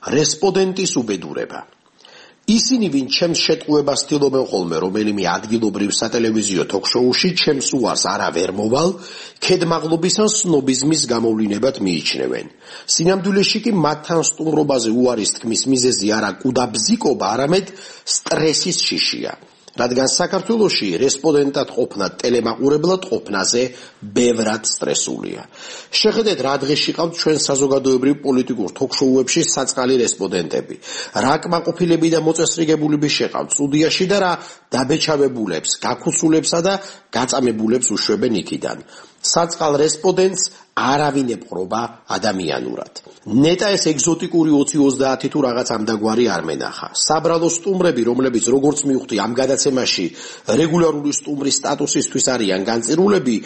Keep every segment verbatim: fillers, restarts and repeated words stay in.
რესპონდენტის უბედურება. ისინი, ვინ ჩემს შეტყუებას ცდილობენ ხოლმე რომელიმე ადგილობრივ სატელევიზიო თოქ-შოუში, ჩემს უარს არა ვერ მოვალ, ქედმაღლობის ან სნობიზმის გამოვლინებად მიიჩნევენ. სინამდვილეში კი მათთან სტუმრობაზე უარის თქმის მიზეზი არა კუდა ბზიკობა, არამედ სტრესის შიშია. რადგან საქართველოში რესპონდენტად ყოფნა ტელემაყურებლად ყოფნაზე ბევრად სტრესულია. შეხედეთ, რა დღეში ყავთ ჩვენ საზოგადოებრივ პოლიტიკურ თოქ-შოუებში საწყალი რესპონდენტები. რა კმაყოფილები და მოწესრიგებულები შეყავთ სტუდიაში და რა დაბეჭავებულებს, გაქუსულებსა და გაწამებულებს უშვებენ იქიდან. საწყალ რესპონდენტს არავინ ეპყრობა ადამიანურად. ნეტა ეს ეგზოტიკური ოცი ოცდაათი თუ რაღაც ამდაგვარი არ მენახა. საბრალო სტუმრები, რომლებიც როგორც მივხვდი ამ გადაცემაში რეგულარული სტუმრის სტატუსისთვის არიან განწირულები,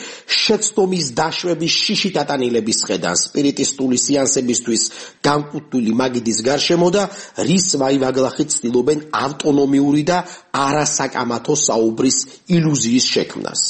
შეცდომის დაშვების შიში დატანილების ხედან სპირიტისტული სეანსებისთვის განკუთვნილი მაგიდის გარშემო და რის ვაივაგლახით ცდილობენ ავტონომიური და არასაკამათო საუბრის ილუზიის შექმნას.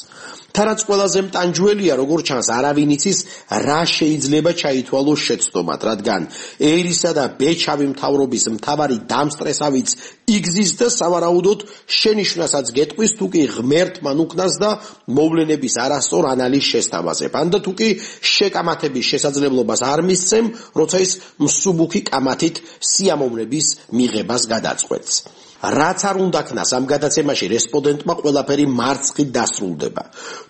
თარაც ყველაზე მტანჯველია, როგორც ჩანს, არავინ იცის, რა შეიძლება ჩაითვალოს შეცდომად, რადგან ერისა და ბეჩავი მთავრობის მთავარი დამსტრესავიც იგზის და სავარაუდოდ შენიშვნასაც გეტყვის, თუ კი ღმერთმან უკნას და მოვლენების არასწორ ანალიზს შესთავაზებ, ან და თუ კი შეკამათების შესაძლებლობას არ მისცემ, როცა ის მსუბუქი კამათით სიამოვნების მიღებას გადაწყვეტს. რაც არ უნდა ქნას ამ გადაცემაში რესპონდენტმა ყველაფერი მარცხით დასრულდება.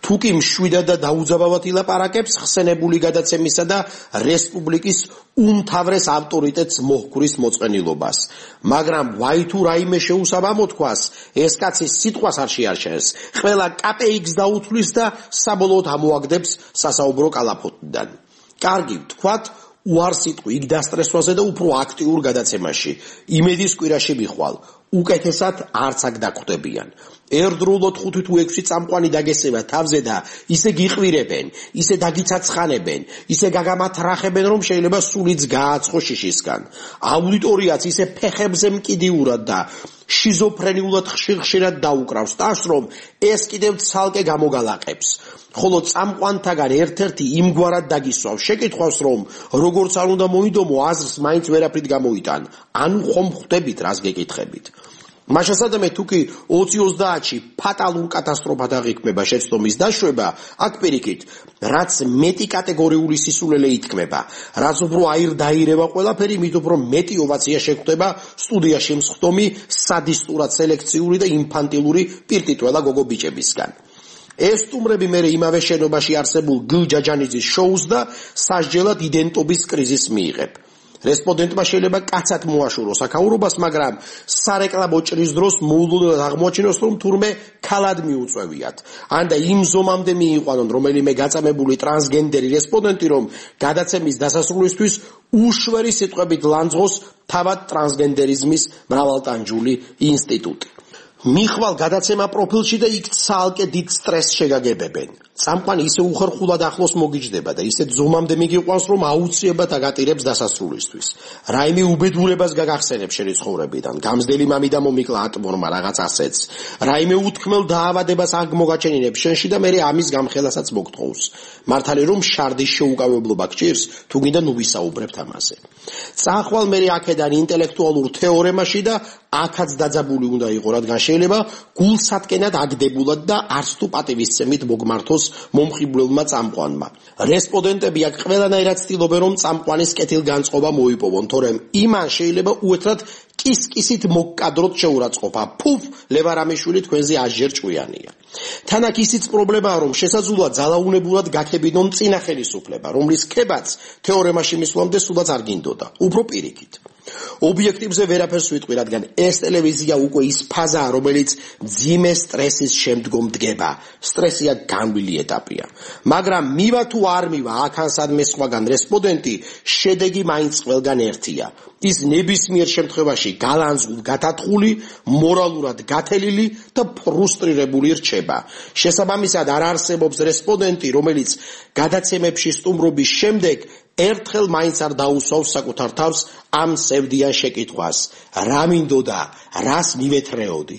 თუ კი მშვიდად და დაუძაბავად ილაპარაკებს ხსენებული გადაცემისა და რესპუბლიკის უმთავრეს ავტორიტეტს მოჰკვრის მოწყენილობას. მაგრამ ვაი თუ რაიმე შეუსაბ ამოთქვას, ეს კაცი სიტყვას არ შეარჩენს, ყველა კაპეიქს დაუთვლის და საბოლოოდ ამოაგდებს სასაუბრო კალაფოტიდან. კარგი, ვთქვათ, უარსიტყვი იქ დასტრესვაზე და უფრო აქტიურ გადაცემაში. იმედის კვირაში მიხვალ. უკეთესად არც აქ დაგხვდებიან. ერთდროულად ხუთი თუ ექვსი წამყვანი დაგესება თავზე და ისე გიყვირებენ, ისე დაგიცაცხანებენ, ისე გაგამათრახებენ, რომ შეიძლება სულიც გააცხო შიშისგან. აუდიტორიაც ისე ფეხებზე მკიდიურად და შიზოფრენიულად ხშირ-ხშირად დაუკრავს ტაშს, რომ ეს კიდევ ცალკე გამოგალაყებს. ხოლო წამყვანთაგან ერთ-ერთი იმგვარად დაგისვავს, შეკითხვავს, რომ როგორც არ უნდა მოიდომო, აზრს მაინც ვერაფრით გამოიტან. ანუ ხომ ხვდებით, რას გეკითხებით. მაშასადამე თუ კი ოცი ოცდაათში ფატალურ კატასტროფად აღიქმება შეცდომის დაშვება, აქ პირიქით, რაც მეტი კატეგორიული სისულელე ითქმება, რაც უფრო აირ-დაირება ყველაფერი, მით უფრო მეტი ოვაცია შეგვხვდება სტუდიაში მსხდომი სადისტურად სელექციური და ინფანტილური პირტიტველა გოგო ბიჭებისგან. ეს სტუმრები მერე იმავე შენობაში არსებულ გ ჯაჯანიძის შოუს და სასჯელად იდენტობის კრიზისს მიიღებ. რესპონდენტმა შეიძლება კაცად მოაშუროს აქაურობას, მაგრამ სარეკლამო ჭრის დროს მოულოდნელად აღმოაჩინოს, რომ თურმე ქალად მიუწევიათ. ან და იმ ზომამდე მიიყვანონ რომელიმე გაწამებული ტრანსგენდერი რესპონდენტი, რომ გადაცემის დასასრულისთვის უშვერი სიტყვებით ლანძღოს თავად ტრანსგენდერიზმის მრავალტანჯული ინსტიტუტი. მიხვალ გადაცემა პროფილში და იქ ცალკე დიდ სტრესს შეგაგებებენ. წამყვანი ისე უხერხულად ახლოს მოგიჯდება და ისე ზომამდე მიგიყვანს, რომ აუცილებლად აგატირებს დასასრულისთვის. რაიმე უბედურებას გაგახსენებს შენი ცხოვრებიდან. გამზდელი მამი და მომიკლა ატმორმა რაღაც ასეც. რაიმე უთქმელ დაავადებას აღმოგაჩენინებს შენში და მერე ამის გამხელასაც მოგთხოვს. მართალი რომ შარდის შეუკავებლობა გჭირს, თუ გინდა ნუ ვისაუბრებთ ამაზე. წახვალ მერე აქედან ინტელექტუალურ თეორემაში და აქაც დაძაბული უნდა იყო, რადგან შეიძლება გულსატკენად აგდებულად და არც თუ პატივისცემით მოგმართოს მომხიბვლელმა წამყვანმა. რესპონდენტები აქ ყველანაირად ცდილობენ, რომ წამყვანის კეთილგანწყობა მოიპოვონ, თორემ იმან შეიძლება უეთრად კისკისით მოგკადროთ შეურაცხყოფა. ფუფ, ლევარამიშვილი თქვენზე ასჯერ ჭკვიანია. თან აქ ისიც პრობლემაა, რომ შესაძლოა ძალაუნებურად გაქებინონ წინა ხელისუფლება, რომლის ქებაც თეორემაში მისვლამდე სულაც არ გინდოდა. უფრო პირიქით. ობიექტივზე ვერაფერს ვიტყვი, რადგან ეს ტელევიზია უკვე ის ფაზაა, რომელიც მძიმე სტრესის შემდგომ დგება. სტრესია განვლილი ეტაპია. მაგრამ მივა თუ არ მივა, აქან სადმე სხვაგან რესპონდენტი, შედეგი მაინც ყველგან ერთია. ის ნებისმიერ შემთხვევაში გალანძღულ, გათათხული, მორალურად გათელილი და ფრუსტრირებული რჩება. შესაბამისად არ არსებობს რესპონდენტი, რომელიც გადაცემებში სტუმრობის შემდეგ ერთხელ მაინც არ დაუსვავს საკუთარ თავს ამ სევდიან შეკითხვას. რა მინდოდა, რას მივეთრეოდი?